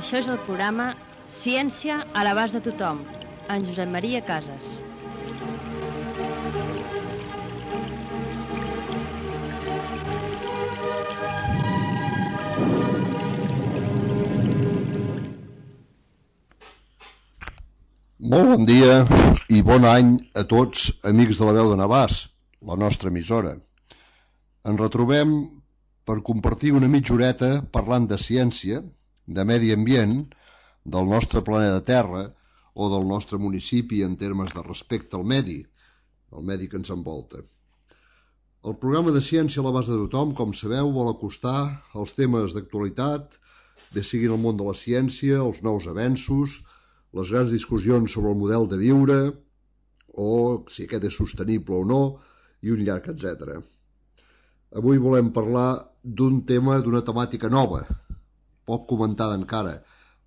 Això és el programa Ciència a l'abast de tothom, en Josep Maria Casas. Molt bon dia i bon any a tots, amics de la Veu de Navàs, la nostra emissora. Ens retrobem per compartir una mitja horeta parlant de ciència, de medi ambient, del nostre planeta Terra o del nostre municipi en termes de respecte al medi, el medi que ens envolta. El programa de Ciència a l'abast de tothom, com sabeu, vol acostar els temes d'actualitat, bé siguin el món de la ciència, els nous avenços, les grans discussions sobre el model de viure, o si aquest és sostenible o no, i un llarg etcètera. Avui volem parlar d'un tema, d'una temàtica nova, poc comentada encara,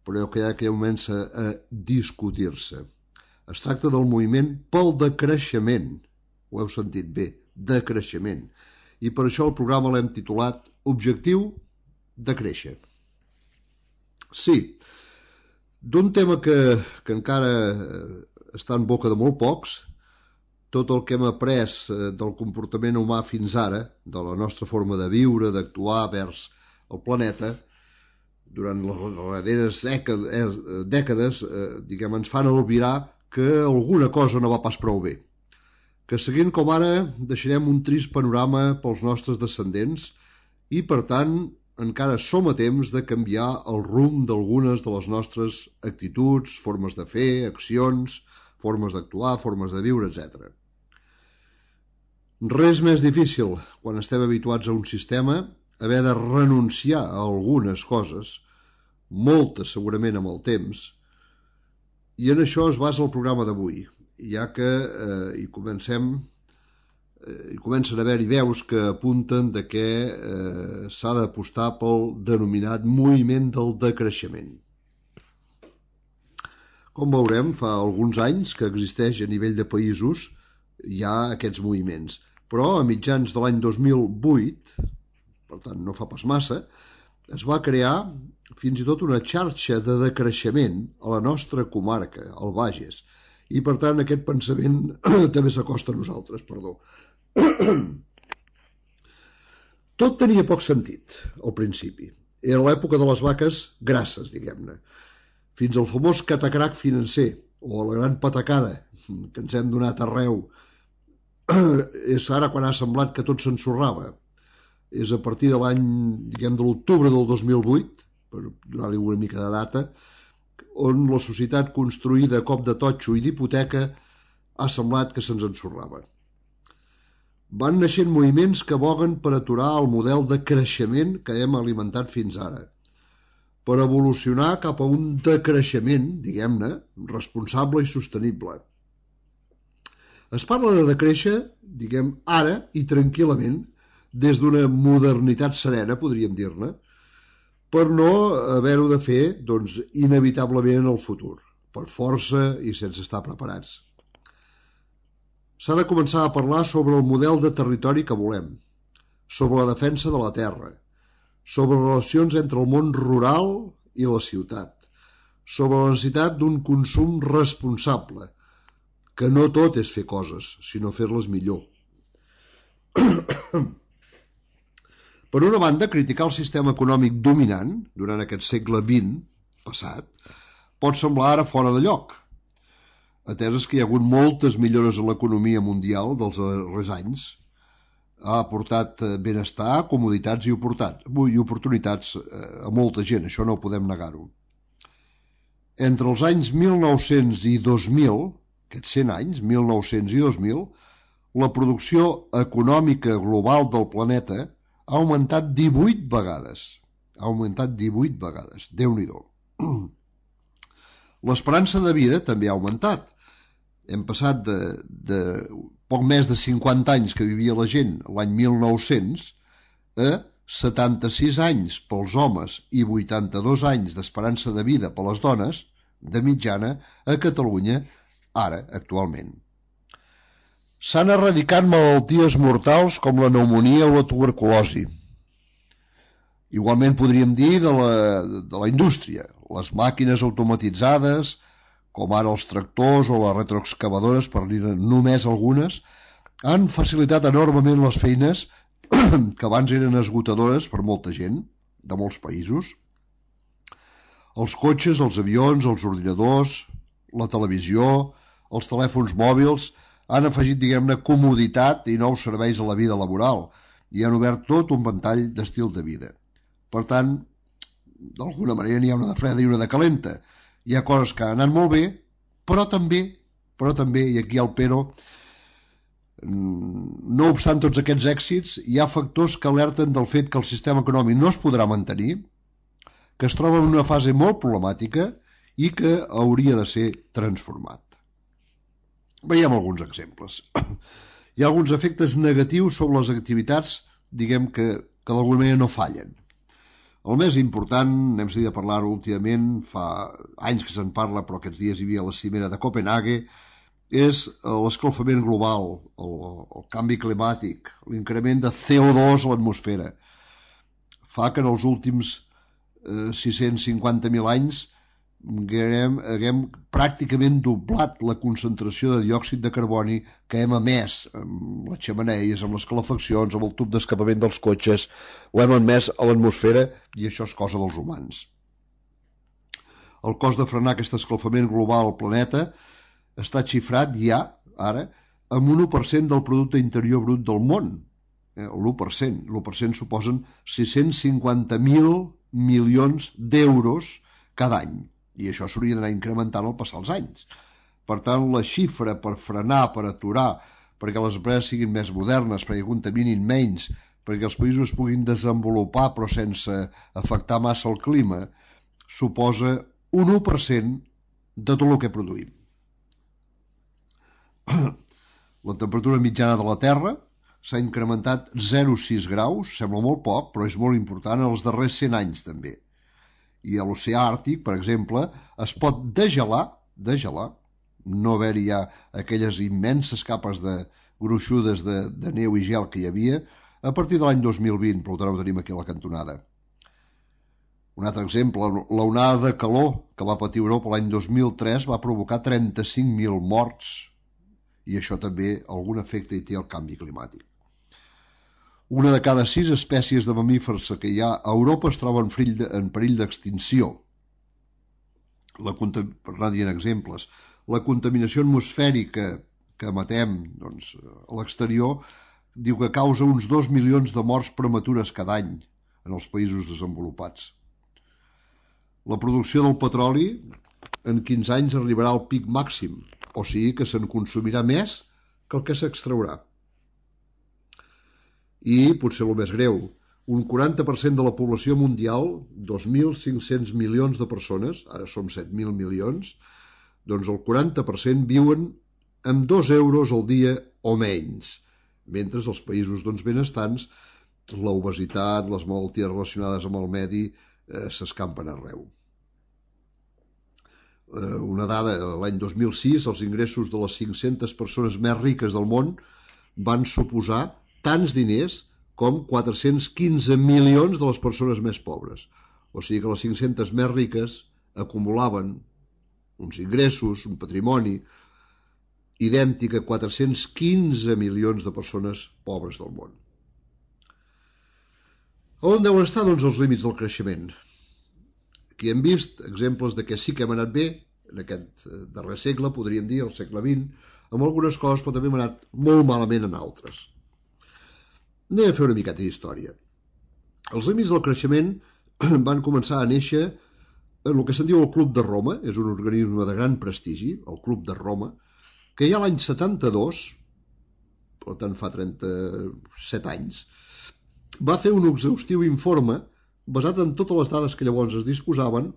però que ja comença a discutir-se. Es tracta del moviment pel decreixement, ho heu sentit bé, decreixement, i per això el programa l'hem titulat Objectiu de créixer. Sí, d'un tema que encara està en boca de molt pocs, tot el que hem après del comportament humà fins ara, de la nostra forma de viure, d'actuar vers el planeta, durant les darreres dècades, ens fan albirar que alguna cosa no va pas prou bé. Que seguint com ara deixarem un trist panorama pels nostres descendents i, per tant, encara som a temps de canviar el rumb d'algunes de les nostres actituds, formes de fer, accions, formes d'actuar, formes de viure, etc. Res més difícil, quan estem habituats a un sistema, haver de renunciar a algunes coses, moltes segurament amb el temps, i en això es basa el programa d'avui, ja que hi comencen a haver-hi veus que apunten de que s'ha d'apostar pel denominat moviment del decreixement. Com veurem, fa alguns anys que existeix a nivell de països ja aquests moviments, però a mitjans de l'any 2008, per tant no fa pas massa, es va crear fins i tot una xarxa de decreixement a la nostra comarca, al Bages, i per tant aquest pensament també s'acosta a nosaltres, perdó. Tot tenia poc sentit al principi. Era l'època de les vaques grasses, diguem-ne, fins al famós catacrac financer o la gran patacada que ens hem donat arreu. És ara quan ha semblat que tot s'ensorrava. És a partir de l'any, de l'octubre del 2008, per donar-li una mica de data, on la societat construïda a cop de totxo i d'hipoteca ha semblat que se'ns ensorrava. Van naixent moviments que boguen per aturar el model de creixement que hem alimentat fins ara, per evolucionar cap a un decreixement, diguem-ne, responsable i sostenible. Es parla de decréixer, ara i tranquil·lament, des d'una modernitat serena, podríem dir-ne, per no haver-ho de fer, inevitablement en el futur, per força i sense estar preparats. S'ha de començar a parlar sobre el model de territori que volem, sobre la defensa de la terra, sobre relacions entre el món rural i la ciutat, sobre la necessitat d'un consum responsable, que no tot és fer coses, sinó fer-les millor. Per una banda, criticar el sistema econòmic dominant durant aquest segle XX passat pot semblar ara fora de lloc, ateses que hi ha hagut moltes millores en l'economia mundial dels darrers anys, ha aportat benestar, comoditats i oportunitats a molta gent, això no podem negar-ho. Entre els anys 1900 i 2000, aquests 100 anys, 1900 i 2000, la producció econòmica global del planeta ha augmentat 18 vegades. Ha augmentat 18 vegades, Déu-n'hi-do. L'esperança de vida també ha augmentat. Hem passat de poc més de 50 anys que vivia la gent l'any 1900 a 76 anys pels homes i 82 anys d'esperança de vida per les dones, de mitjana, a Catalunya, ara, actualment. S'han erradicat malalties mortals com la pneumònia o la tuberculosi. Igualment podríem dir de la indústria, les màquines automatitzades, com ara els tractors o les retroexcavadores, per dir només algunes, han facilitat enormement les feines que abans eren esgotadores per molta gent de molts països. Els cotxes, els avions, els ordinadors, la televisió, els telèfons mòbils han afegit, diguem-ne, comoditat i nous serveis a la vida laboral i han obert tot un ventall d'estil de vida. Per tant, d'alguna manera n'hi ha una de freda i una de calenta. Hi ha coses que han anat molt bé, però també, i aquí hi ha el però, no obstant tots aquests èxits, hi ha factors que alerten del fet que el sistema econòmic no es podrà mantenir, que es troba en una fase molt problemàtica i que hauria de ser transformat. Veiem alguns exemples. Hi ha alguns efectes negatius sobre les activitats, diguem que d'alguna manera no fallen. El més important, n'hem sentit a parlar últimament, fa anys que se'n parla, però aquests dies hi havia la cimera de Copenhague, és l'escalfament global, el canvi climàtic, l'increment de CO2 a l'atmosfera. Fa que en els últims 650.000 anys haguem pràcticament doblat la concentració de diòxid de carboni que hem emès amb les xemeneies, amb les calefaccions, amb el tub d'escapament dels cotxes, ho hem emès a l'atmosfera i això és cosa dels humans. El cost de frenar aquest escalfament global al planeta està xifrat ja, ara, amb un 1% del producte interior brut del món. L'1%. L'1% suposen 650.000 milions d'euros cada any. I això s'hauria d'anar incrementant al passar els anys. Per tant, la xifra per frenar, per aturar, perquè les empreses siguin més modernes, perquè contaminin menys, perquè els països es puguin desenvolupar però sense afectar massa el clima, suposa un 1% de tot el que produïm. La temperatura mitjana de la Terra s'ha incrementat 0,6 graus, sembla molt poc, però és molt important en els darrers 100 anys també. I a l'oceà Àrtic, per exemple, es pot degelar, no haver-hi ja aquelles immenses capes gruixudes de neu i gel que hi havia, a partir de l'any 2020, per tant ho tenim aquí a la cantonada. Un altre exemple, l'onada de calor que va patir Europa l'any 2003 va provocar 35.000 morts, i això també algun efecte hi té el canvi climàtic. Una de cada 6 espècies de mamífers que hi ha a Europa es troba en perill d'extinció. Per anar dient exemples, la contaminació atmosfèrica que emetem a l'exterior diu que causa uns 2 milions de morts prematures cada any en els països desenvolupats. La producció del petroli en 15 anys arribarà al pic màxim, o sigui que se'n consumirà més que el que s'extraurà. I, potser el més greu, un 40% de la població mundial, 2.500 milions de persones, ara som 7.000 milions, doncs el 40% viuen amb 2 euros al dia o menys, mentre els països benestants, l'obesitat, les malalties relacionades amb el medi s'escampen arreu. Una dada, l'any 2006 els ingressos de les 500 persones més riques del món van suposar tants diners com 415 milions de les persones més pobres. O sigui que les 500 més riques acumulaven uns ingressos, un patrimoni idèntic a 415 milions de persones pobres del món. On deuen estar, els límits del creixement? Aquí hem vist exemples de que sí que hem anat bé en aquest darrer segle, podríem dir, el segle XX, amb algunes coses, però també hem anat molt malament en altres. Anem a fer una miqueta d'història. Els límits del creixement van començar a néixer en el que se'n diu el Club de Roma, és un organisme de gran prestigi, el Club de Roma, que ja l'any 72, per tant fa 37 anys, va fer un exhaustiu informe basat en totes les dades que llavors es disposaven,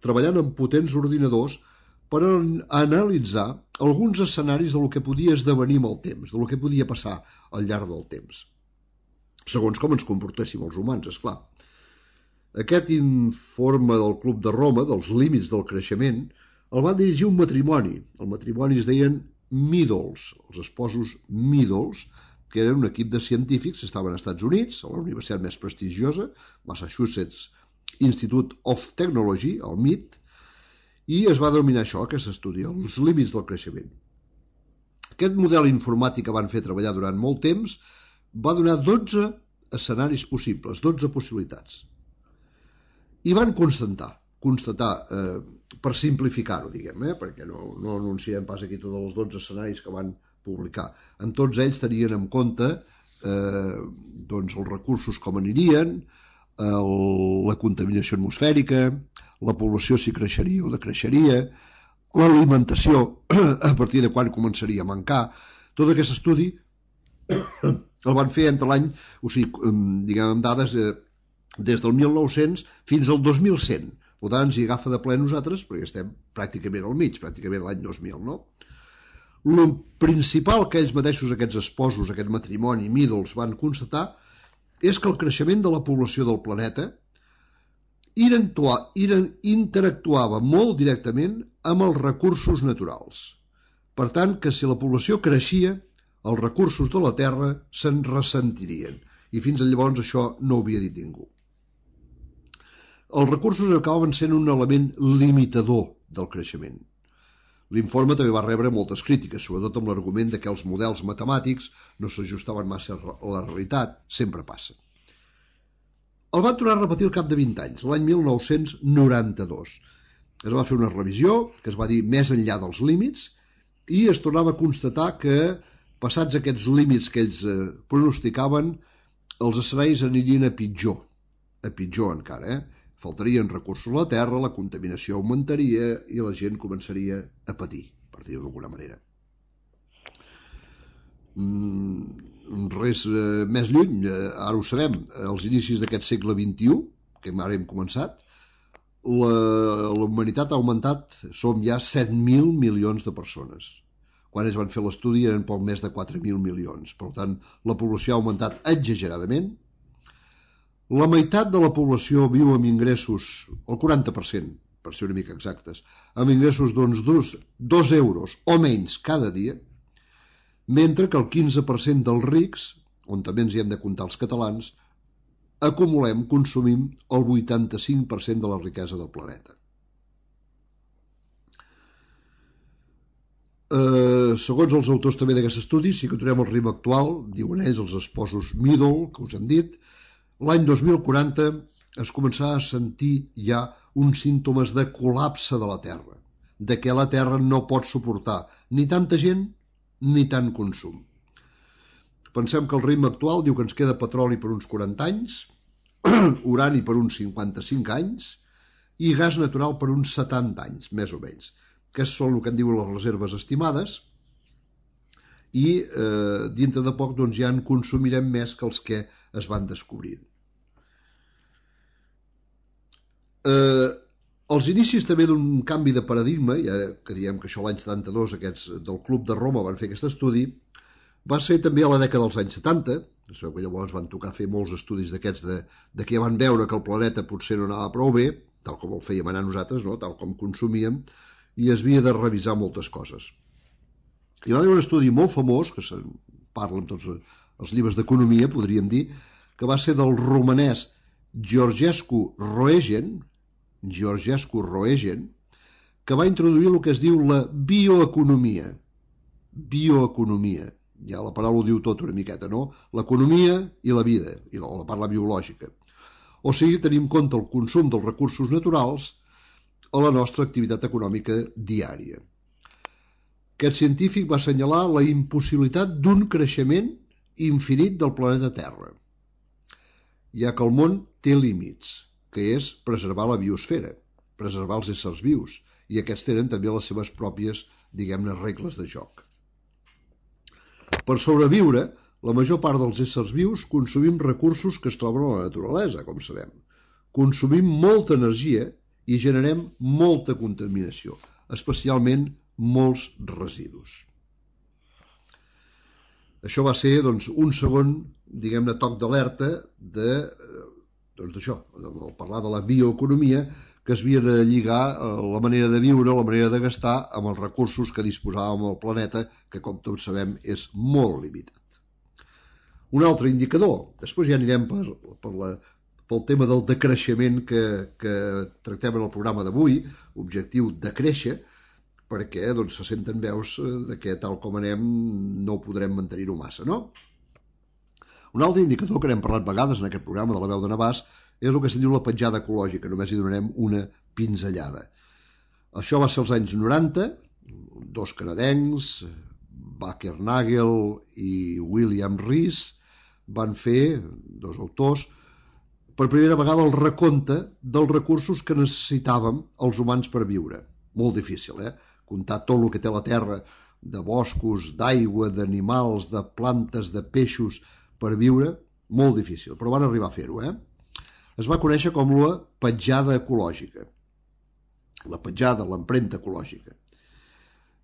treballant amb potents ordinadors per analitzar alguns escenaris del que podia esdevenir amb el temps, del que podia passar al llarg del temps, segons com ens comportéssim els humans, esclar. Aquest informe del Club de Roma, dels límits del creixement, el va dirigir un matrimoni. El matrimoni es deien Meadows, els esposos Meadows, que eren un equip de científics que estaven als Estats Units, a la universitat més prestigiosa, Massachusetts Institute of Technology, el MIT, i es va denominar això, aquest estudi, els límits del creixement. Aquest model informàtic que van fer treballar durant molt temps va donar 12 escenaris possibles, 12 possibilitats. I van constatar, per simplificar-ho, diguem, perquè no anunciem pas aquí tots els 12 escenaris que van publicar. En tots ells tenien en compte els recursos com anirien, la contaminació atmosfèrica, la població si creixeria o decreixeria, l'alimentació, a partir de quan començaria a mancar. Tot aquest estudi el van fer entre l'any, o sigui, diguem, amb dades des del 1900 fins al 2100. Per tant, ens hi agafa de ple nosaltres, perquè estem pràcticament al mig, pràcticament l'any 2000, no? El principal que ells mateixos, aquests esposos, aquest matrimoni, Meadows, van constatar és que el creixement de la població del planeta interactuava molt directament amb els recursos naturals. Per tant, que si la població creixia, els recursos de la Terra se'n ressentirien. I fins llavors això no ho havia dit ningú. Els recursos acabaven sent un element limitador del creixement. L'informe també va rebre moltes crítiques, sobretot amb l'argument que els models matemàtics no s'ajustaven massa a la realitat, sempre passa. El van tornar a repetir al cap de 20 anys, l'any 1992. Es va fer una revisió, que es va dir més enllà dels límits, i es tornava a constatar que, passats aquests límits que ells pronosticaven, els escenaris anirien a pitjor encara. Faltarien recursos a la Terra, la contaminació augmentaria i la gent començaria a patir, per dir-ho d'alguna manera. Res més lluny, ara ho sabem, als inicis d'aquest segle XXI, que ara hem començat, la humanitat ha augmentat, som ja 7.000 milions de persones. Quan es van fer l'estudi eren poc més de 4.000 milions. Per tant, la població ha augmentat exageradament. La meitat de la població viu amb ingressos, el 40%, per ser una mica exactes, amb ingressos d'2 euros o menys cada dia, mentre que el 15% dels rics, on també ens hi hem de comptar els catalans, consumim el 85% de la riquesa del planeta. Segons els autors també d'aquest estudi, si continuem el ritme actual, diuen ells, els esposos Meadows, que us hem dit, l'any 2040 es començarà a sentir ja uns símptomes de col·lapse de la Terra, de què la Terra no pot suportar ni tanta gent ni tant consum. Pensem que el ritme actual diu que ens queda petroli per uns 40 anys, urani per uns 55 anys i gas natural per uns 70 anys, més o menys. Aquests són el que en diuen les reserves estimades i dintre de poc doncs, ja en consumirem més que els que es van descobrint. Els inicis també d'un canvi de paradigma, ja que diem que això l'any 72 aquests del Club de Roma van fer aquest estudi, va ser també a la dècada dels anys 70, sabeu que llavors van tocar fer molts estudis d'aquests de que van veure que el planeta potser no anava prou bé, tal com el fèiem anar nosaltres, no? Tal com consumíem, i es havia de revisar moltes coses. Hi va haver un estudi molt famós, que se'n parla en tots els llibres d'economia, podríem dir, que va ser del romanès Georgescu Roegen, que va introduir el que es diu la bioeconomia. Bioeconomia, ja la paraula ho diu tot una miqueta, no? L'economia i la vida, i la parla biològica. O sigui, tenim en compte el consum dels recursos naturals a la nostra activitat econòmica diària. Aquest científic va assenyalar la impossibilitat d'un creixement infinit del planeta Terra, ja que el món té límits, que és preservar la biosfera, preservar els éssers vius, i aquests tenen també les seves pròpies, diguem-ne, regles de joc. Per sobreviure, la major part dels éssers vius consumim recursos que es troben a la naturalesa, com sabem. Consumim molta energia i generem molta contaminació, especialment molts residus. Això va ser doncs, un segon, diguem-ne, toc d'alerta d'això, parlar de la bioeconomia, que es havia de lligar la manera de viure, la manera de gastar amb els recursos que disposàvem al planeta, que com tots sabem és molt limitat. Un altre indicador, després ja anirem pel pel tema del decreixement que tractem en el programa d'avui, objectiu de créixer, perquè doncs, se senten veus que tal com anem no podrem mantenir-ho massa, no? Un altre indicador que n'hem parlat vegades en aquest programa de la veu de Navàs és el que se'n diu la petjada ecològica, només hi donarem una pinzellada. Això va ser als anys 90, dos canadencs, Bakernagel i William Rees, van fer, dos autors, per primera vegada el recompte dels recursos que necessitàvem els humans per viure. Molt difícil, comptar tot el que té la Terra, de boscos, d'aigua, d'animals, de plantes, de peixos, per viure, molt difícil, però van arribar a fer-ho. Es va conèixer com la petjada ecològica. La petjada, l'empremta ecològica.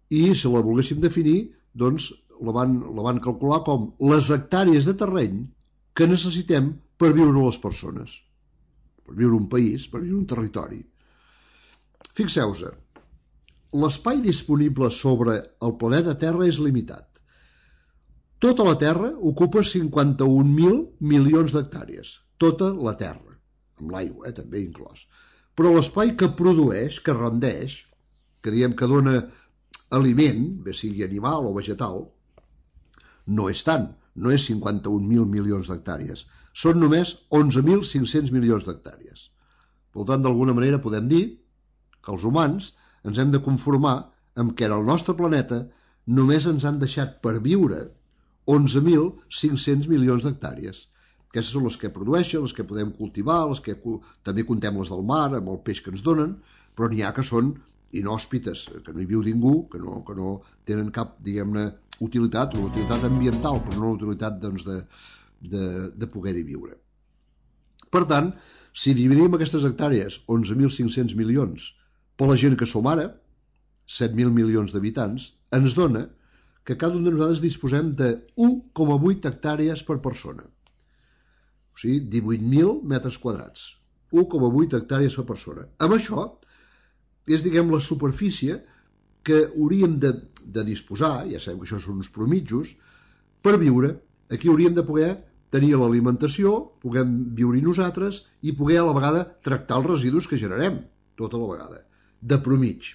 I, si la volguéssim definir, doncs la van calcular com les hectàrees de terreny que necessitem per viure les persones. Per viure un país, per viure un territori. Fixeu-vos, l'espai disponible sobre el planeta Terra és limitat. Tota la Terra ocupa 51.000 milions d'hectàrees. Tota la Terra, amb l'aigua també inclòs. Però l'espai que produeix, que rendeix, que diem que dona aliment, bé sigui animal o vegetal, no és tant, no és 51.000 milions d'hectàrees. Són només 11.500 milions d'hectàrees. Per tant, d'alguna manera podem dir que els humans ens hem de conformar amb que en el nostre planeta només ens han deixat per viure 11.500 milions d'hectàrees. Aquestes són les que produeixen, les que podem cultivar, les que també contem les del mar, amb el peix que ens donen, però n'hi ha que són inhòspites, que no hi viu ningú, que no tenen cap, diguem-ne, utilitat, una utilitat ambiental, però no una utilitat doncs, de poder-hi viure. Per tant, si dividim aquestes hectàrees, 11.500 milions, per la gent que som ara, 7.000 milions d'habitants, ens dona que cada un de nosaltres disposem de 1,8 hectàrees per persona. O sigui, 18.000 metres quadrats. 1,8 hectàrees per persona. Amb això, és, diguem, la superfície que hauríem de disposar, ja sabem que això són uns promitjos, per viure. Aquí hauríem de poder tenir l'alimentació, puguem viure nosaltres i poder a la vegada tractar els residus que generem, tota la vegada, de promig.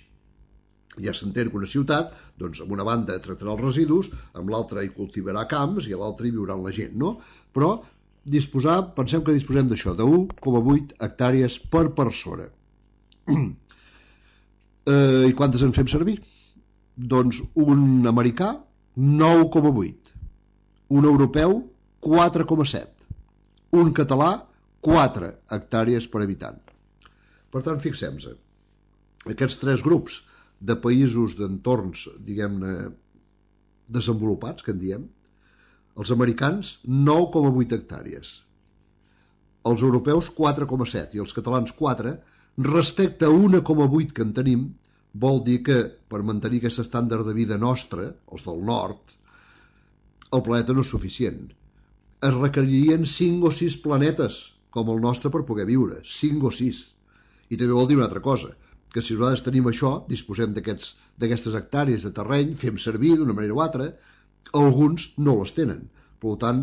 Ja s'entén que una ciutat, doncs, amb una banda tractarà els residus, amb l'altra hi cultivarà camps i a l'altra hi viurà la gent, no? Però pensem que disposem d'això, de 1,8 hectàrees per persona. I quantes en fem servir? Doncs un americà, 9,8. Un europeu, 4,7. Un català, 4 hectàrees per habitant. Per tant, fixem-nos, aquests tres grups de països, d'entorns, diguem-ne, desenvolupats, que en diem, els americans, 9,8 hectàrees. Els europeus, 4,7, i els catalans, 4, respecte a 1,8 que en tenim, vol dir que, per mantenir aquest estàndard de vida nostre, els del nord, el planeta no és suficient. Es requeririen 5 o 6 planetes, com el nostre, per poder viure. 5 o 6. I també vol dir una altra cosa, que si nosaltres tenim això, disposem d'aquestes hectàrees de terreny, fem servir d'una manera o altra, alguns no les tenen. Per tant,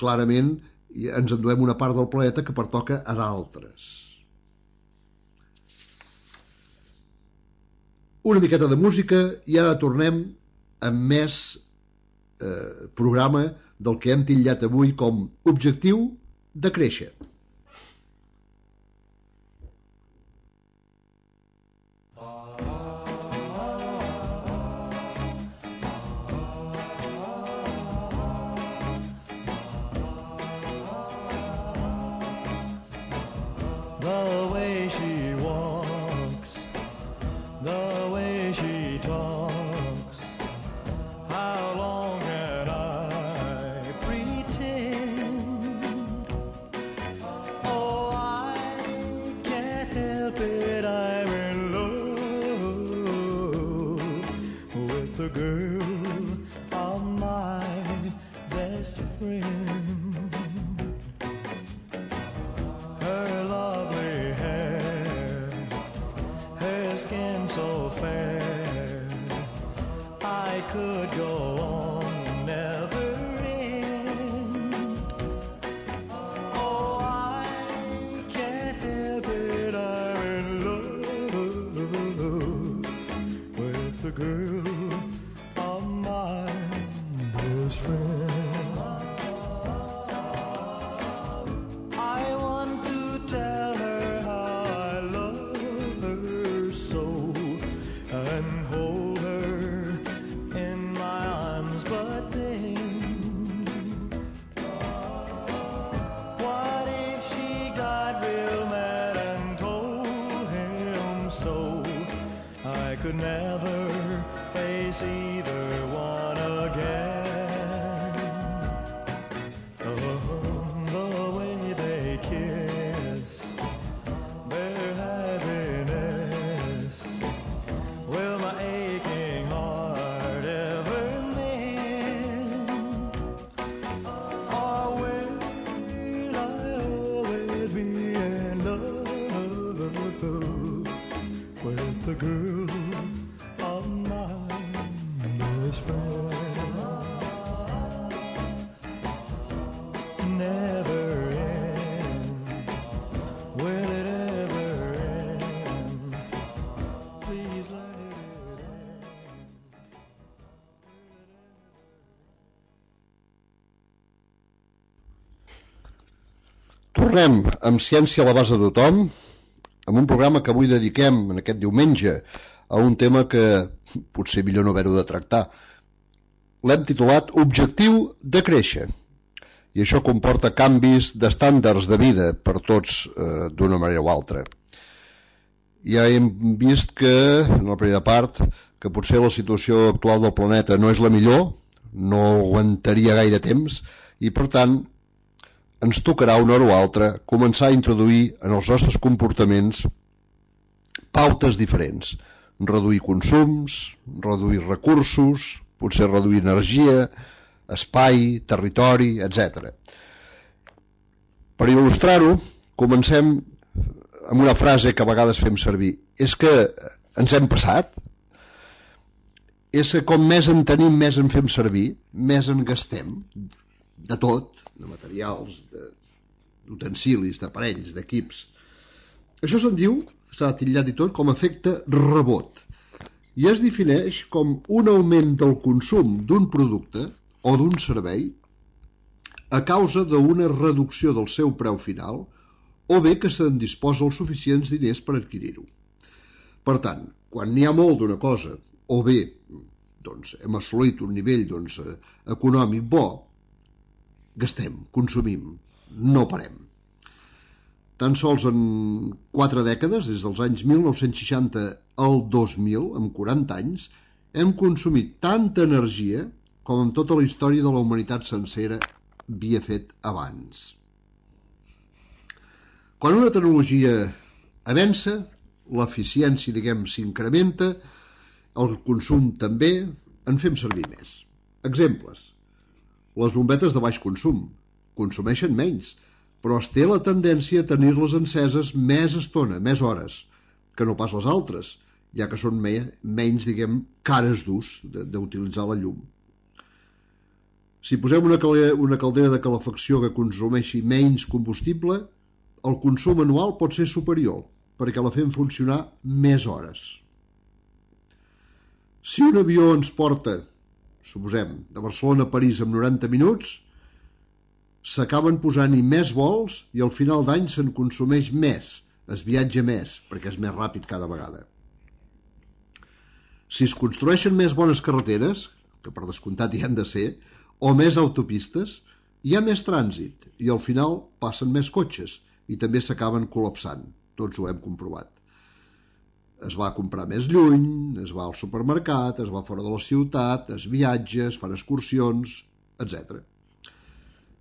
clarament ens enduem una part del planeta que pertoca a d'altres. Una miqueta de música i ara tornem amb més programa del que hem titllat avui com objectiu de créixer. The way she walks, the way she talks, how long can I pretend? Oh, I can't help it, I'm in love with the girl of my best friend. So fair, I could go on, never end. Oh, Tornem amb Ciència a l'abast de tothom, amb un programa que avui dediquem en aquest diumenge a un tema que potser millor no haver-ho de tractar. L'hem titulat Objectiu de créixer, i això comporta canvis d'estàndards de vida per tots d'una manera o altra. Ja hem vist que, en la primera part, que potser la situació actual del planeta no és la millor, no aguantaria gaire temps, i per tant ens tocarà una hora o altra començar a introduir en els nostres comportaments pautes diferents. Reduir consums, reduir recursos, potser reduir energia, espai, territori, etc. Per il·lustrar-ho, comencem amb una frase que a vegades fem servir. És que ens hem passat? És que com més en tenim, més en fem servir, més en gastem, de tot, de materials, d'utensilis, d'aparells, d'equips. Això se'n diu, s'ha titllat i tot, com efecte rebot, i es defineix com un augment del consum d'un producte o d'un servei a causa d'una reducció del seu preu final o bé que se'n disposa els suficients diners per adquirir-ho. Per tant, quan n'hi ha molt d'una cosa o bé hem assolit un nivell econòmic bo, gastem, consumim, no parem. Tan sols en 4 dècades, des dels anys 1960 al 2000, en 40 anys, hem consumit tanta energia com en tota la història de la humanitat sencera havia fet abans. Quan una tecnologia avança, l'eficiència, s'incrementa, el consum també, en fem servir més. Exemples. Les bombetes de baix consum consumeixen menys, però es té la tendència a tenir-les enceses més estona, més hores, que no pas les altres, ja que són menys, cares d'ús d'utilitzar la llum. Si posem una caldera de calefacció que consumeixi menys combustible, el consum anual pot ser superior, perquè la fem funcionar més hores. Si un avió ens porta, suposem, de Barcelona a París en 90 minuts, s'acaben posant-hi més vols i al final d'any se'n consumeix més, es viatja més, perquè és més ràpid cada vegada. Si es construeixen més bones carreteres, que per descomptat hi han de ser, o més autopistes, hi ha més trànsit i al final passen més cotxes i també s'acaben col·lapsant, tots ho hem comprovat. Es va a comprar més lluny, es va al supermercat, es va fora de la ciutat, es viatja, es fan excursions, etc.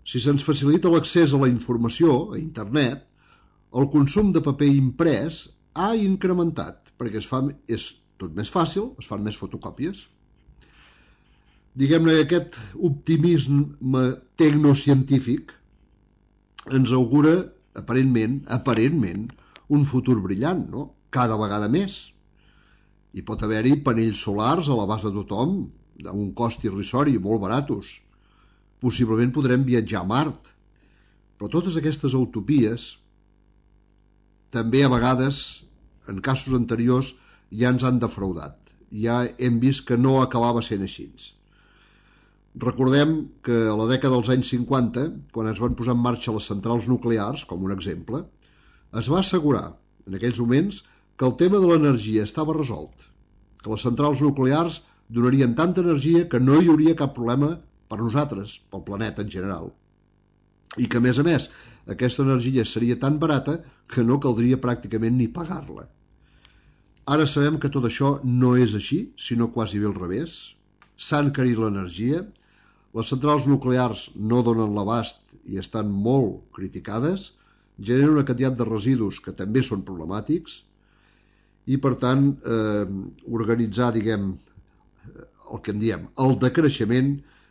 Si se'ns facilita l'accés a la informació, a internet, el consum de paper imprès ha incrementat, perquè és tot més fàcil, es fan més fotocòpies. Diguem-ne que aquest optimisme tecnocientífic ens augura, aparentment, un futur brillant, no? Cada vegada més. Hi pot haver-hi panells solars a l'abast de tothom, a un cost irrisori, molt baratos. Possiblement podrem viatjar a Mart. Però totes aquestes utopies també a vegades, en casos anteriors, ja ens han defraudat. Ja hem vist que no acabava sent així. Recordem que a la dècada dels anys 50, quan es van posar en marxa les centrals nuclears, com un exemple, es va assegurar, en aquells moments, que el tema de l'energia estava resolt, que les centrals nuclears donarien tanta energia que no hi hauria cap problema per nosaltres, pel planeta en general. I que, a més, aquesta energia seria tan barata que no caldria pràcticament ni pagar-la. Ara sabem que tot això no és així, sinó quasi bé al revés. S'ha encarit l'energia, les centrals nuclears no donen l'abast i estan molt criticades, generen una quantitat de residus que també són problemàtics, i per tant organitzar, el que en diem el decreixement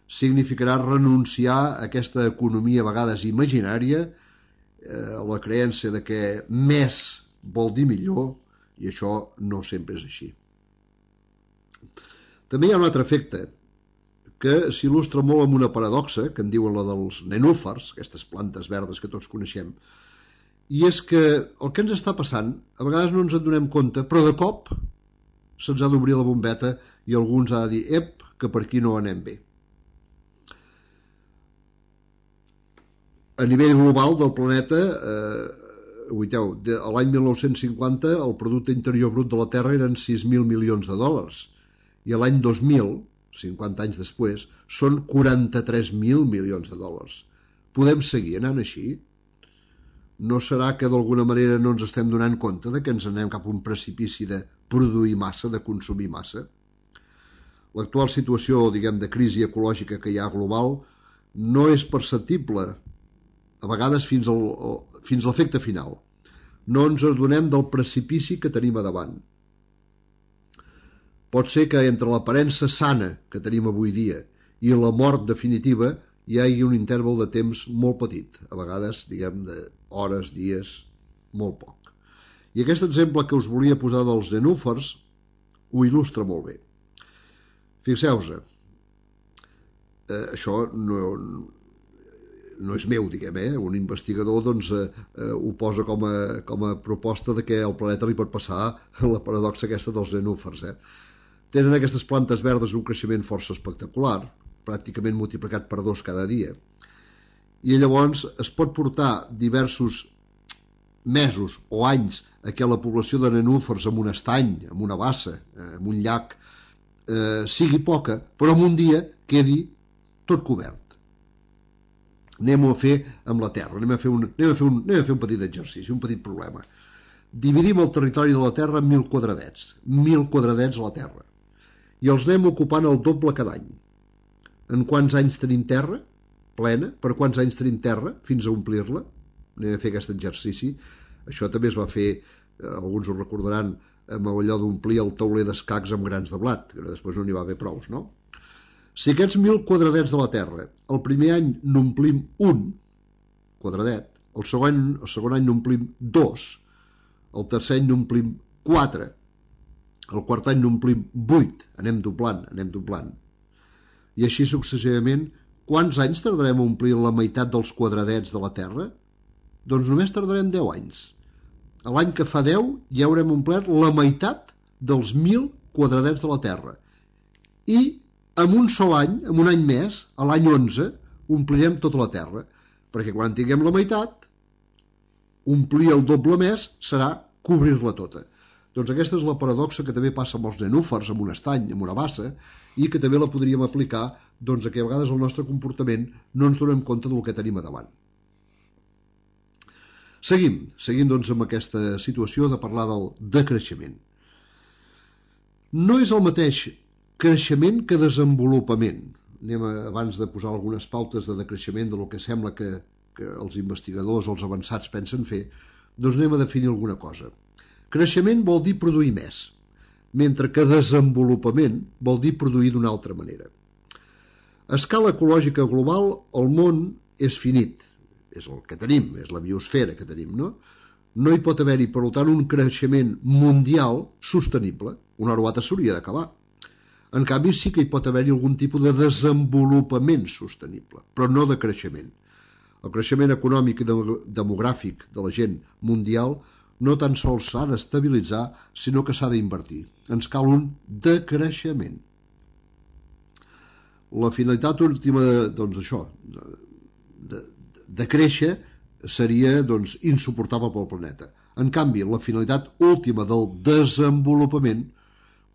significarà renunciar a aquesta economia a vegades imaginària, a la creença de que més vol dir millor, i això no sempre és així. També hi ha un altre efecte que s'il·lustra molt amb una paradoxa, que en diuen la dels nenúfars, aquestes plantes verdes que tots coneixem, i és que el que ens està passant, a vegades no ens en donem compte, però de cop se'ns ha d'obrir la bombeta i algú ens ha de dir, que per aquí no anem bé. A nivell global del planeta, l'any 1950 el producte interior brut de la Terra eren 6.000 milions de dòlars i l'any 2000, 50 anys després, són 43.000 milions de dòlars. Podem seguir anant així? No serà que d'alguna manera no ens estem donant compte de que ens anem cap a un precipici de produir massa, de consumir massa? L'actual situació, diguem, de crisi ecològica que hi ha global no és perceptible, a vegades fins a l'efecte final. No ens adonem del precipici que tenim a davant. Pot ser que entre l'aparença sana que tenim avui dia i la mort definitiva hi hagi un interval de temps molt petit, a vegades, diguem, d'hores, dies, molt poc. I aquest exemple que us volia posar dels nenúfars ho il·lustra molt bé. Fixeu-vos, això no és meu, diguem, un investigador doncs, ho posa com a proposta de que al planeta li pot passar la paradoxa aquesta dels nenúfars. Tenen aquestes plantes verdes un creixement força espectacular, pràcticament multiplicat per 2 cada dia, i llavors es pot portar diversos mesos o anys a que la població de nenúfars en un estany, en una bassa, en un llac, sigui poca, però en un dia quedi tot cobert. Anem-ho a fer amb la Terra, anem a fer un petit exercici, un petit problema. Dividim el territori de la Terra en 1.000 quadradets, 1.000 quadradets a la Terra, i els anem ocupant el doble cada any. En quants anys tenim terra plena? Per quants anys tenim terra fins a omplir-la? Anem a fer aquest exercici. Això també es va fer, alguns ho recordaran, amb allò d'omplir el tauler d'escacs amb grans de blat, que després no n'hi va haver prous, no? Si aquests 1.000 quadradets de la Terra, el primer any n'omplim un quadradet, el segon any n'omplim 2, el tercer any n'omplim 4, el quart any n'omplim 8, anem doblant. I així successivament, quants anys tardarem a omplir la meitat dels quadradets de la Terra? Doncs només tardarem 10 anys. A l'any que fa 10 ja haurem omplert la meitat dels 1.000 quadradets de la Terra. I en un sol any, en un any més, a l'any 11, omplirem tota la Terra, perquè quan tinguem la meitat, omplir el doble més serà cobrir-la tota. Doncs aquesta és la paradoxa que també passa amb els nenúfars, amb un estany, amb una bassa, i que també la podríem aplicar doncs, a que a vegades el nostre comportament no ens donem compte del que tenim a davant. Seguim doncs, amb aquesta situació de parlar del decreixement. No és el mateix creixement que desenvolupament. Abans de posar algunes pautes de decreixement del que sembla que els investigadors, els avançats pensen fer, doncs anem a definir alguna cosa. Creixement vol dir produir més, mentre que desenvolupament vol dir produir d'una altra manera. A escala ecològica global, el món és finit, és el que tenim, és la biosfera que tenim, no? No hi pot haver-hi, per tant, un creixement mundial sostenible. Una hora o altra s'hauria d'acabar. En canvi, sí que hi pot haver-hi algun tipus de desenvolupament sostenible, però no de creixement. El creixement econòmic i demogràfic de la gent mundial no tan sols s'ha d'estabilitzar, sinó que s'ha d'invertir. Ens cal un decreixement. La finalitat última, doncs això, de créixer seria doncs, insuportable pel planeta. En canvi, la finalitat última del desenvolupament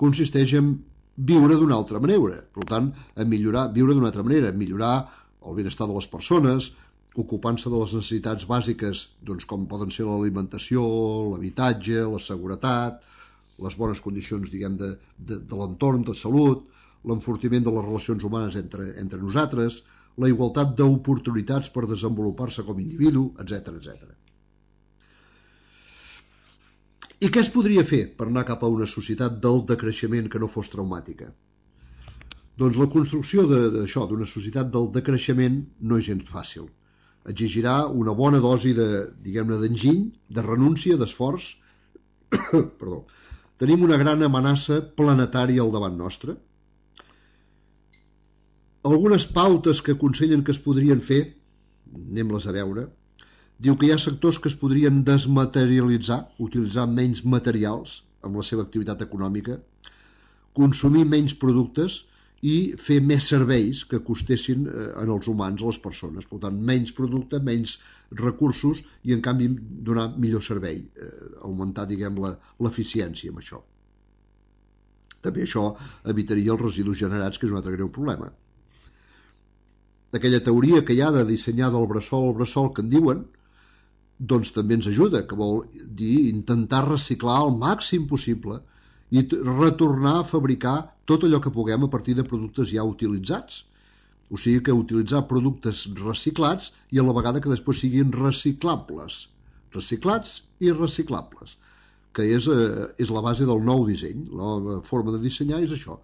consisteix en viure d'una altra manera. Per tant, viure d'una altra manera, millorar el benestar de les persones, ocupant-se de les necessitats bàsiques, doncs, com poden ser l'alimentació, l'habitatge, la seguretat, les bones condicions, diguem, de l'entorn, de salut, l'enfortiment de les relacions humanes entre nosaltres, la igualtat d'oportunitats per desenvolupar-se com a individu, etc. I què es podria fer per anar cap a una societat del decreixement que no fos traumàtica? Doncs la construcció d'una societat del decreixement no és gens fàcil. Exigirà una bona dosi d'enginy, de renúncia, d'esforç. Perdó. Tenim una gran amenaça planetària al davant nostre. Algunes pautes que aconsellen que es podrien fer, anem-les a veure, diu que hi ha sectors que es podrien desmaterialitzar, utilitzar menys materials amb la seva activitat econòmica, consumir menys productes i fer més serveis que costessin en els humans, a les persones. Per tant, menys producte, menys recursos i, en canvi, donar millor servei, augmentar, diguem, l'eficiència amb això. També això evitaria els residus generats, que és un altre greu problema. Aquella teoria que hi ha de dissenyar del bressol al bressol, que en diuen, doncs també ens ajuda, que vol dir intentar reciclar el màxim possible i retornar a fabricar tot allò que puguem a partir de productes ja utilitzats. O sigui que utilitzar productes reciclats i a la vegada que després siguin reciclables. Reciclats i reciclables, que és la base del nou disseny. La nova forma de dissenyar és això.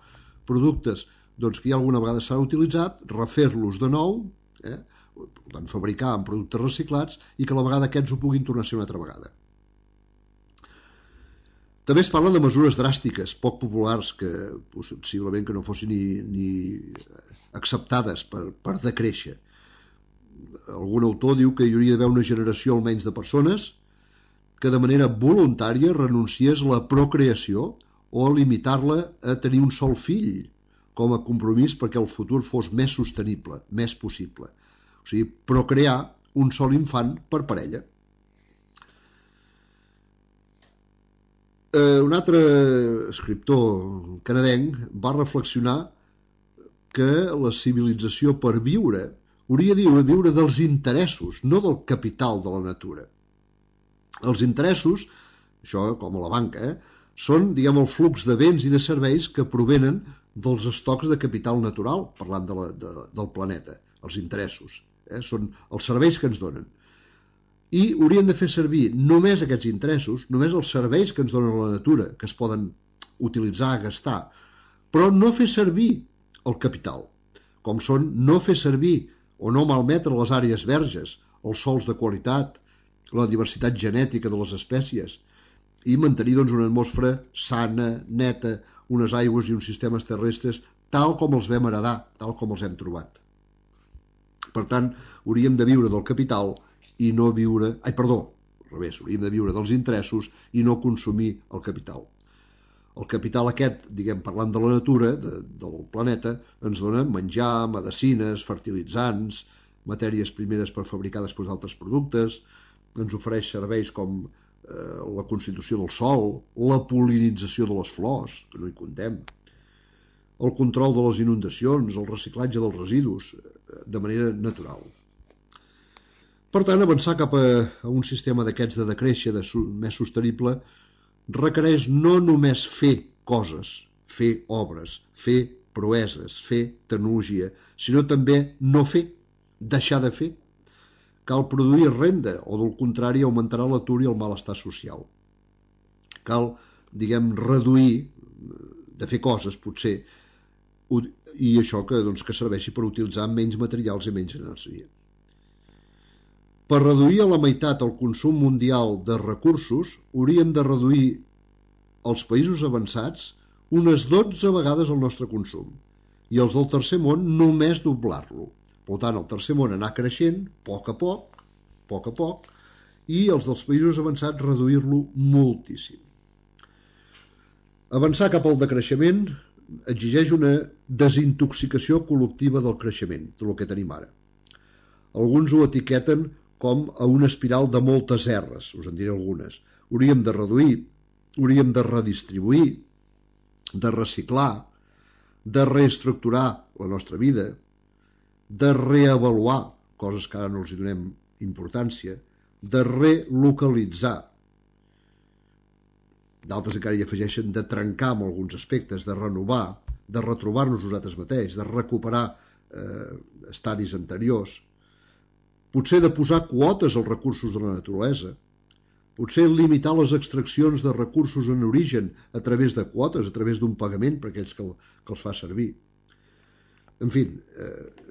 Productes doncs, que ja alguna vegada s'han utilitzat, refer-los de nou, per tant, fabricar amb productes reciclats i que a la vegada aquests ho puguin tornar a ser una altra vegada. També es parla de mesures dràstiques, poc populars, que possiblement que no fossin ni acceptades per decréixer. Algun autor diu que hi hauria d'haver una generació almenys de persones que de manera voluntària renunciés a la procreació o a limitar-la a tenir un sol fill com a compromís perquè el futur fos més sostenible, més possible. O sigui, procrear un sol infant per parella. Un altre escriptor canadenc va reflexionar que la civilització per viure hauria de viure dels interessos, no del capital de la natura. Els interessos, això com a la banca, són, diguem, el flux de béns i de serveis que provenen dels estocs de capital natural, parlant del planeta, els interessos. Són els serveis que ens donen. I haurien de fer servir només aquests interessos, només els serveis que ens donen la natura, que es poden utilitzar, gastar, però no fer servir el capital, com són no fer servir o no malmetre les àrees verges, els sòls de qualitat, la diversitat genètica de les espècies, i mantenir doncs, una atmosfera sana, neta, unes aigües i uns sistemes terrestres tal com els vam heredar, tal com els hem trobat. Per tant, hauríem de viure del capital i no viure... al revés, hauríem de viure dels interessos i no consumir el capital. El capital aquest, diguem, parlant de la natura, del planeta, ens dona menjar, medecines, fertilitzants, matèries primeres per fabricar després altres productes, ens ofereix serveis com la constitució del sòl, la pol·linització de les flors, que no hi comptem, el control de les inundacions, el reciclatge dels residus, de manera natural. Per tant, avançar cap a un sistema d'aquests de decréixer més sostenible requereix no només fer coses, fer obres, fer proeses, fer tecnologia, sinó també no fer, deixar de fer. Cal produir renda, o del contrari augmentarà l'atur i el malestar social. Cal, diguem, reduir, de fer coses, potser, i això que serveixi per utilitzar menys materials i menys energia. Per reduir a la meitat el consum mundial de recursos, hauríem de reduir als països avançats unes 12 vegades el nostre consum, i els del tercer món només doblar-lo. Per tant, el tercer món anar creixent, a poc, i els dels països avançats reduir-lo moltíssim. Avançar cap al decreixement exigeix una desintoxicació col·lectiva del creixement, del que tenim ara. Alguns ho etiqueten com a una espiral de moltes erres, us en diré algunes. Hauríem de reduir, hauríem de redistribuir, de reciclar, de reestructurar la nostra vida, de reavaluar coses que ara no els hi donem importància, de relocalitzar. D'altres encara hi afegeixen de trencar amb alguns aspectes, de renovar, de retrobar-nos nosaltres mateixos, de recuperar estadis anteriors, potser de posar quotes als recursos de la naturalesa, potser limitar les extraccions de recursos en origen a través de quotes, a través d'un pagament per aquells que els fa servir. En fi,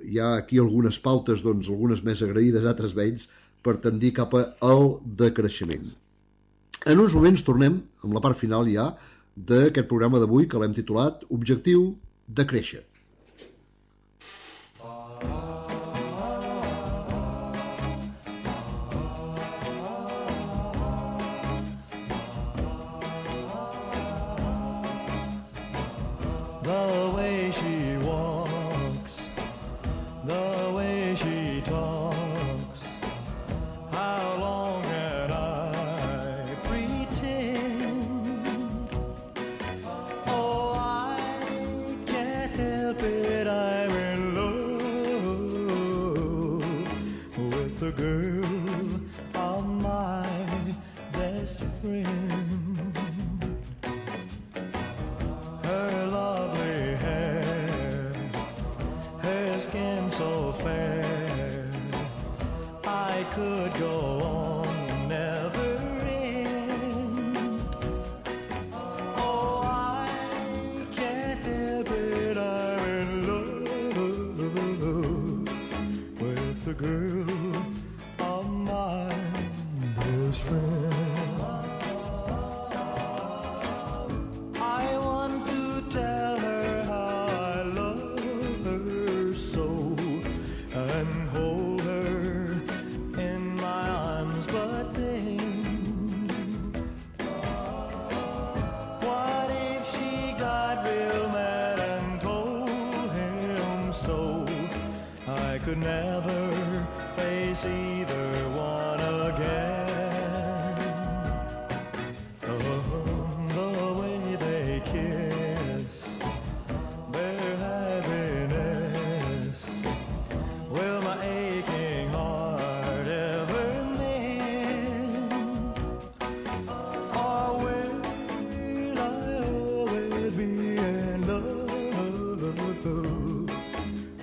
hi ha aquí algunes pautes, doncs, algunes més agraïdes, altres menys, per tendir cap al decreixement. En uns moments tornem amb la part final ja d'aquest programa d'avui que l'hem titulat Objectiu de créixer. The way she walks the girl of my best friend. Her lovely hair, her skin so fair, I could go on, never end. Oh, I can't help it, I'm in love with the girl of my best friend. I want to tell her how I love her so, and hold her in my arms, but then what if she got real mad and told him so? I could never face either one again. The way they kiss, their happiness, will my aching heart ever mend? Or will I always be in love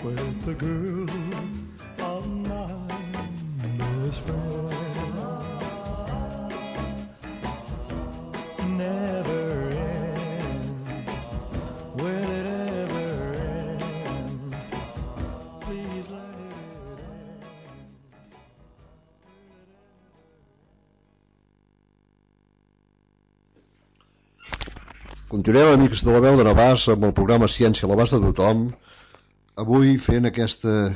with the girl of my best friend? Never end. Will it ever end? Please let it end. Continuem, amics de la veu de Navàs, amb el programa Ciència a l'abast de tothom, avui fent aquesta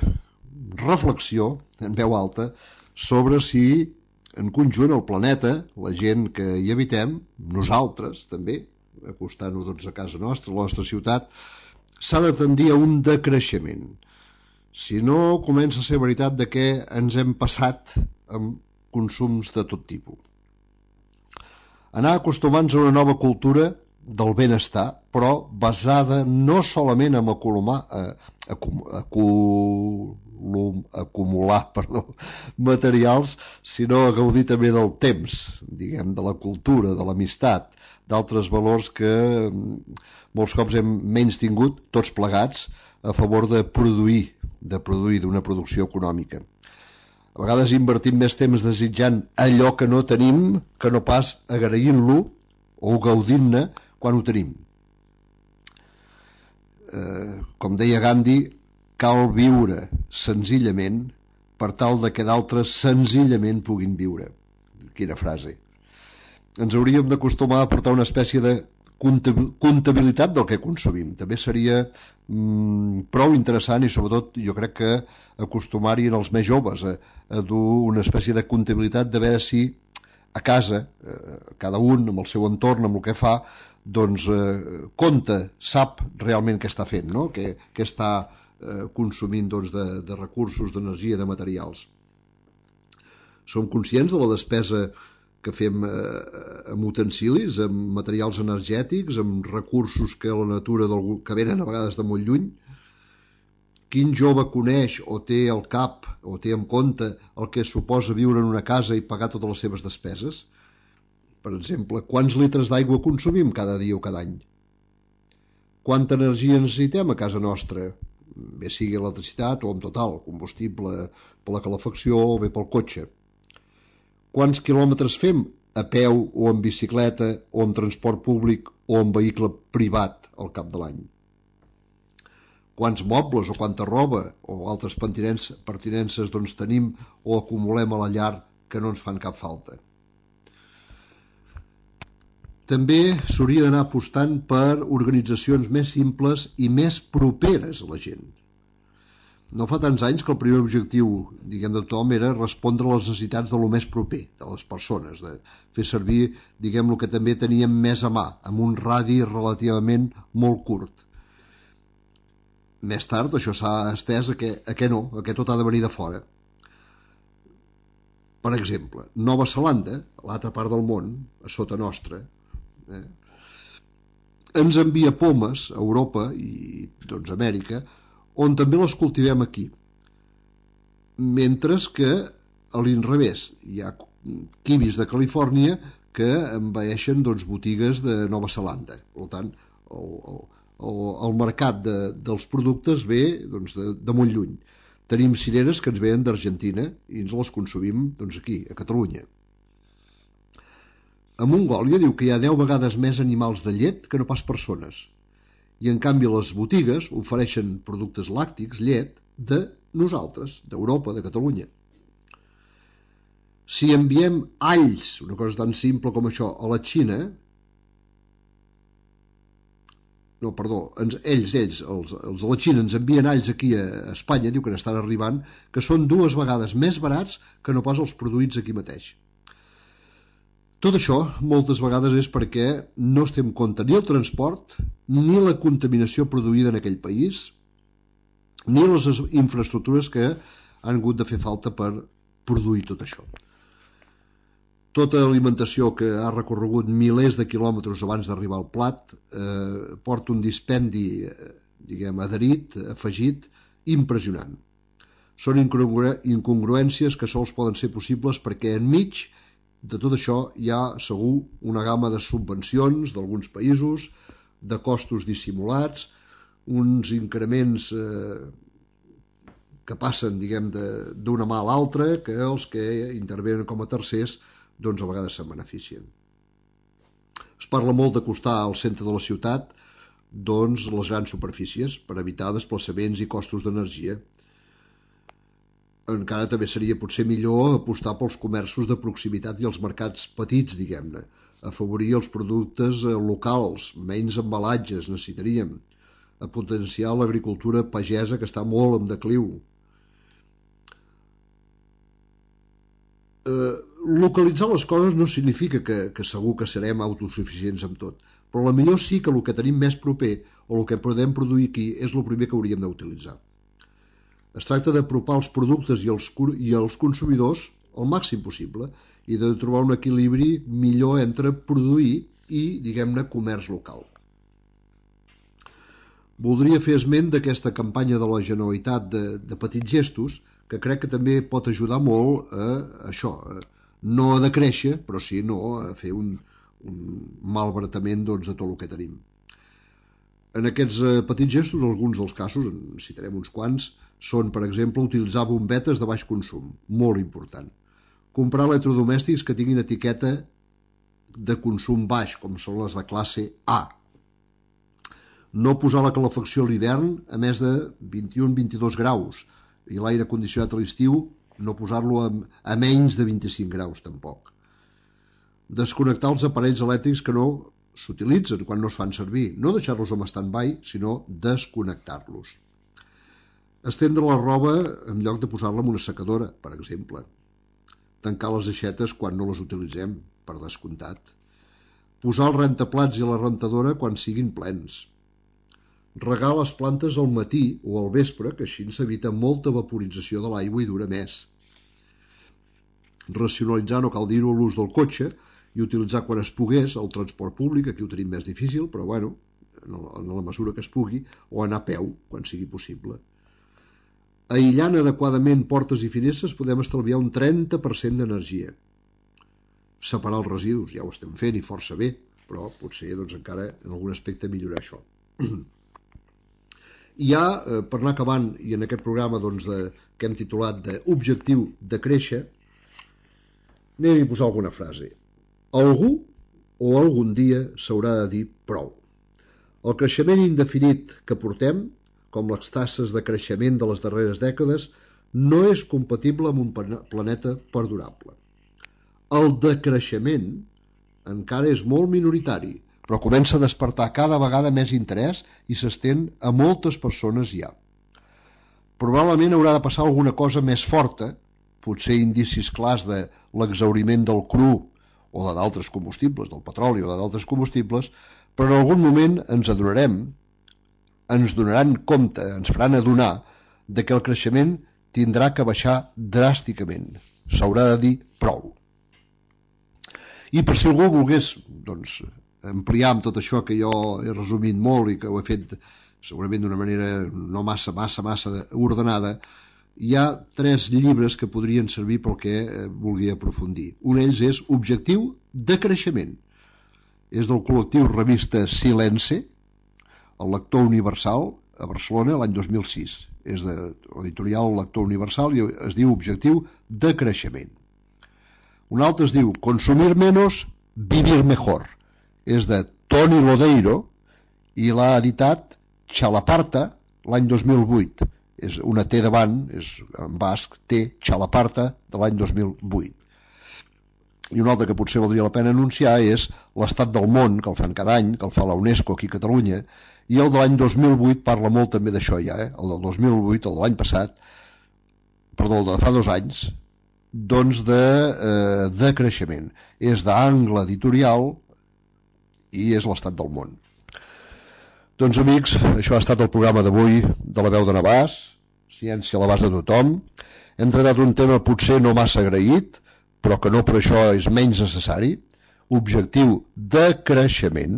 reflexió en veu alta sobre si en conjunt el planeta, la gent que hi habitem, nosaltres també, acostant-nos doncs a casa nostra, a la nostra ciutat, s'ha de tendir a un decreixement. Si no, comença a ser veritat de què ens hem passat amb consums de tot tipus. Anar acostumant-nos a una nova cultura del benestar, però basada no solament en acumular materials, sinó a gaudir també del temps, diguem, de la cultura, de l'amistat, d'altres valors que molts cops hem menys tingut, tots plegats, a favor de produir d'una producció econòmica. A vegades invertim més temps desitjant allò que no tenim que no pas agraint-lo o gaudint-ne quan ho tenim. Com deia Gandhi, cal viure senzillament per tal de que d'altres senzillament puguin viure. Quina frase. Ens hauríem d'acostumar a portar una espècie de comptabilitat del que consumim. També seria prou interessant i sobretot jo crec que acostumar-hi els més joves a dur una espècie de comptabilitat de veure si a casa, cada un amb el seu entorn, amb el que fa, doncs compta, sap realment què està fent, no? Què està consumint doncs, de recursos, d'energia, de materials. Som conscients de la despesa que fem amb utensilis, amb materials energètics, amb recursos que la natura que venen a vegades de molt lluny? Quin jove coneix o té al cap o té en compte el que suposa viure en una casa i pagar totes les seves despeses? Per exemple, quants litres d'aigua consumim cada dia o cada any? Quanta energia necessitem a casa nostra? Bé sigui electricitat o en total, combustible per la calefacció o bé pel cotxe. Quants quilòmetres fem a peu o en bicicleta o en transport públic o en vehicle privat al cap de l'any? Quants mobles o quanta roba o altres pertinences doncs, tenim o acumulem a la llar que no ens fan cap falta? També s'hauria d'anar apostant per organitzacions més simples i més properes a la gent. No fa tants anys que el primer objectiu, diguem, de tothom era respondre a les necessitats de lo més proper, de les persones, de fer servir, diguem, el que també teníem més a mà, amb un radi relativament molt curt. Més tard això s'ha estès a què no, a què tot ha de venir de fora. Per exemple, Nova Zelanda, a l'altra part del món, a sota nostra, ens envia pomes a Europa i doncs a Amèrica, on també les cultivem aquí. Mentre que a l'inrevés. Hi ha kiwis de Califòrnia que envaeixen botigues de Nova Zelanda. Per tant, el mercat dels productes ve de molt lluny. Tenim cireres que ens venen d'Argentina i ens les consumim aquí, a Catalunya. A Mongòlia diu que hi ha 10 vegades més animals de llet que no pas persones. I en canvi les botigues ofereixen productes làctics, llet, de nosaltres, d'Europa, de Catalunya. Si enviem alls, una cosa tan simple com això, a la Xina, ells, els de la Xina ens envien alls aquí a Espanya, diu que n'estan arribant, que són 2 vegades més barats que no pas els produïts aquí mateix. Tot això moltes vegades és perquè no es té en compte ni el transport, ni la contaminació produïda en aquell país, ni les infraestructures que han hagut de fer falta per produir tot això. Tota alimentació que ha recorregut milers de quilòmetres abans d'arribar al plat porta un dispendi, adherit, afegit, impressionant. Són incongruències que sols poden ser possibles perquè enmig de tot això hi ha segur una gamma de subvencions d'alguns països, de costos dissimulats, uns increments que passen d'una mà a l'altra, que els que intervenen com a tercers a vegades se'n beneficien. Es parla molt d'acostar al centre de la ciutat les grans superfícies per evitar desplaçaments i costos d'energia. Encara també seria potser millor apostar pels comerços de proximitat i els mercats petits, afavorir els productes locals, menys embalatges necessitaríem, a potenciar l'agricultura pagesa que està molt en decliu. Localitzar les coses no significa que segur que serem autosuficients amb tot, però potser sí que el que tenim més proper o el que podem produir aquí és el primer que hauríem d'utilitzar. Es tracta d'apropar els productes i els consumidors al màxim possible i de trobar un equilibri millor entre produir i, comerç local. Voldria fer esment d'aquesta campanya de la Generalitat de petits gestos, que crec que també pot ajudar molt a això, no a decréixer, però sí a fer un malbaratament de tot el que tenim. En aquests petits gestos, alguns dels casos, en citarem uns quants, són, per exemple, utilitzar bombetes de baix consum, molt important. Comprar electrodomèstics que tinguin etiqueta de consum baix, com són les de classe A. No posar la calefacció a l'hivern a més de 21-22 graus i l'aire condicionat a l'estiu no posar-lo a menys de 25 graus, tampoc. Desconnectar els aparells elèctrics que no s'utilitzen quan no es fan servir, no deixar-los en stand-by, sinó desconnectar-los. Estendre la roba en lloc de posar-la en una secadora, per exemple. Tancar les aixetes quan no les utilitzem, per descomptat. Posar el rentaplats i la rentadora quan siguin plens. Regar les plantes al matí o al vespre, que així s'evita molta vaporització de l'aigua i dura més. Racionalitzar, no cal dir-ho, l'ús del cotxe i utilitzar quan es pogués el transport públic, aquí ho tenim més difícil, però en la mesura que es pugui, o anar a peu, quan sigui possible. Aïllant adequadament portes i finestres podem estalviar un 30% d'energia. Separar els residus, ja ho estem fent i força bé, però potser encara en algun aspecte millorar això. I ja, per anar acabant, i en aquest programa que hem titulat d'Objectiu de créixer, anem a posar alguna frase. Algú o algun dia s'haurà de dir prou. El creixement indefinit que portem, com les tasses de creixement de les darreres dècades, no és compatible amb un planeta perdurable. El decreixement encara és molt minoritari, però comença a despertar cada vegada més interès i s'estén a moltes persones ja. Probablement haurà de passar alguna cosa més forta, potser indicis clars de l'exhauriment del cru o d'altres combustibles, del petroli o d'altres combustibles, però en algun moment ens donaran compte, ens faran adonar de que el creixement tindrà que baixar dràsticament. S'haurà de dir prou. I per si algú volgués ampliar amb tot això que jo he resumit molt i que ho he fet segurament d'una manera no massa ordenada, hi ha 3 llibres que podrien servir pel que vulgui aprofundir. Un d'ells és Objectiu de creixement. És del col·lectiu Revista Silence, el Lector Universal, a Barcelona, l'any 2006. És de l'editorial Lector Universal i es diu Objectiu de creixement. Un altre es diu Consumir menos, vivir mejor. És de Toni Lodeiro i l'ha editat Txalaparta l'any 2008. És una T davant, és en basc, T, Txalaparta, de l'any 2008. I un altre que potser valdria la pena anunciar és l'Estat del món, que el fan cada any, que el fa la UNESCO aquí a Catalunya, i el de l'any 2008 parla molt també d'això ja, el del 2008, el de l'any passat, perdó, el de fa 2 anys, doncs de creixement. És d'Angle Editorial i és l'Estat del món. Doncs amics, això ha estat el programa d'avui de La Veu de Navàs, ciència a l'abast de tothom. Hem tractat un tema potser no massa agraït, però que no per això és menys necessari. Objectiu de creixement.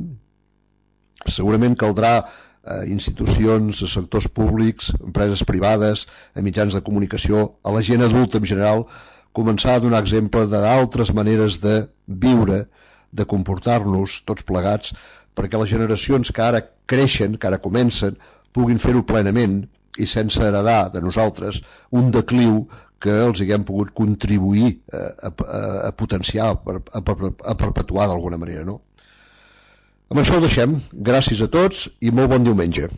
Segurament caldrà a institucions, a sectors públics, empreses privades, a mitjans de comunicació, a la gent adulta en general, començar a donar exemple d'altres maneres de viure, de comportar-nos tots plegats, perquè les generacions que ara creixen, que ara comencen, puguin fer-ho plenament i sense heredar de nosaltres un decliu que els haguem pogut contribuir a potenciar, a perpetuar d'alguna manera, no? Amb això ho deixem. Gràcies a tots i molt bon diumenge.